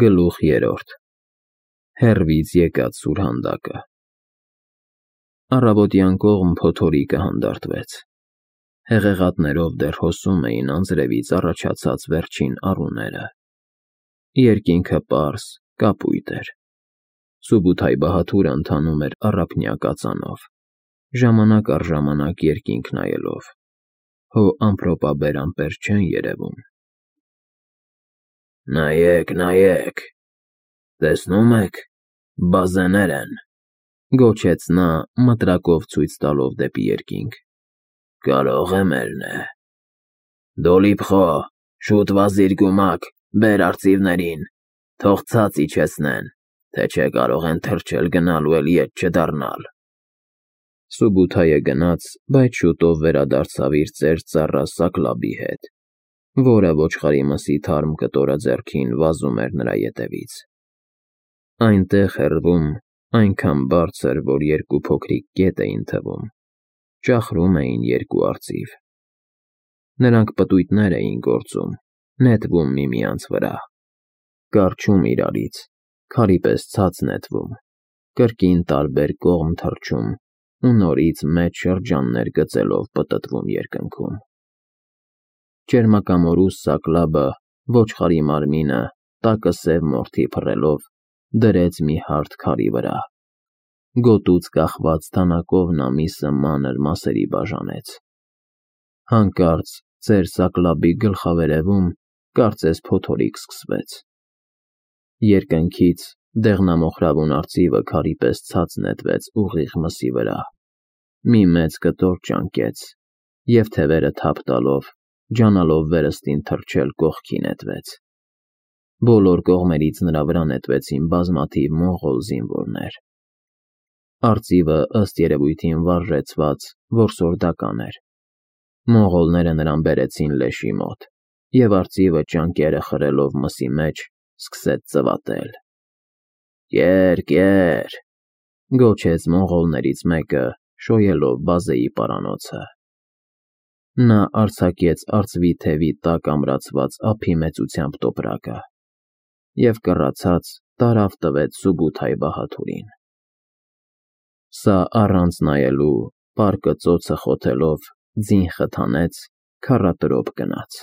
Գլուխ 3 Հեռվից եկած սուրհանդակը Առավոտյան կողմ փոթորիկը հանդարտվեց։ Հեղեղատներով դեռ հոսում էին անձրևից առաջացած վերջին առուները։ Երկինքը պարզ, կապույտ էր։ Սուբութայ Բահաթուրը ընթանում էր առափնյա կածանով, ժամանակ առ ժամանակ երկինք նայելով, հո ամպրոպաբեր ամպեր չեն երևում։ Նայեք, տեսնում եք, բազեներ են, գոչեց նա, մտրակով ցույց տալով դեպի երկինք։ Կարող է մերն է։ Դոլիփխո, շուտ վազիր գումակ, բեր արծիվներին, թող ցած իջեցնեն, թե չէ կարող են թրջել գնալ ու էլ ետ չդառնալ։ Սուբութայը գնաց, բայց շուտով վերադարձավ իր ծեր ծառա Սակլաբի հետ, որը ոչխարի մսի թարմ կտորը ձեռքին վազում էր նրա ետևից։ Այնտեղ հեռվում, այնքան բարձր, որ երկու փոքրիկ կետ էին թվում, ճախրում էին երկու արծիվ։ Նրանք պտույտներ էին գործում, նետվում միմյանց վրա, կառչում իրարից, քարի պես ցած նետվում, կրկին տարբեր կողմ թռչում ու նորից մեծ շրջաններ գծելով պտտվում երկնքում։ Ճերմակամորուս Սակլաբը ոչխարի մարմինը, տակը սև մորթի փռելով, դրեց մի հարթ քարի վրա։ Գոտուց կախված թանակով նա միսը մանր մասերի բաժանեց։ Հանկարծ ծեր Սակլաբի գլխավերևում կարծես փոթորիկ սկսվեց։ Երկնքից դեղնամոխրավուն արծիվը քարի պես ցած նետվեց ուղիղ մսի վրա, մի մեծ կտոր ճանկեց և թևերը թափ տալով, ջանալով վերստին թռչել կողքի նետվեց։ Բոլոր կողմերից նրա վրա նետվեցին բազմաթիվ մոնղոլ զինվորներ։ Արծիվը ըստ երևույթին վարժեցված, որսորդական էր։ Մոնղոլները նրան բերեցին լեշի մոտ, և արծիվը ճանկերը խրելով մսի մեջ սկսեց ծվատել։ Կեր, գոչեց մոնղոլներից մեկը, շոյելով բազեի պարանոցը։ Նա արձակեց արծվի թևի տակ ամրացված ափի մեծությամբ տոպրակը և կռացած տարավ տվեց Սուբութայ Բահաթուրին։ Սա առանց նայելու, պարկը ծոցը խոթելով, ձին խթանեց, քառատրոփ գնաց։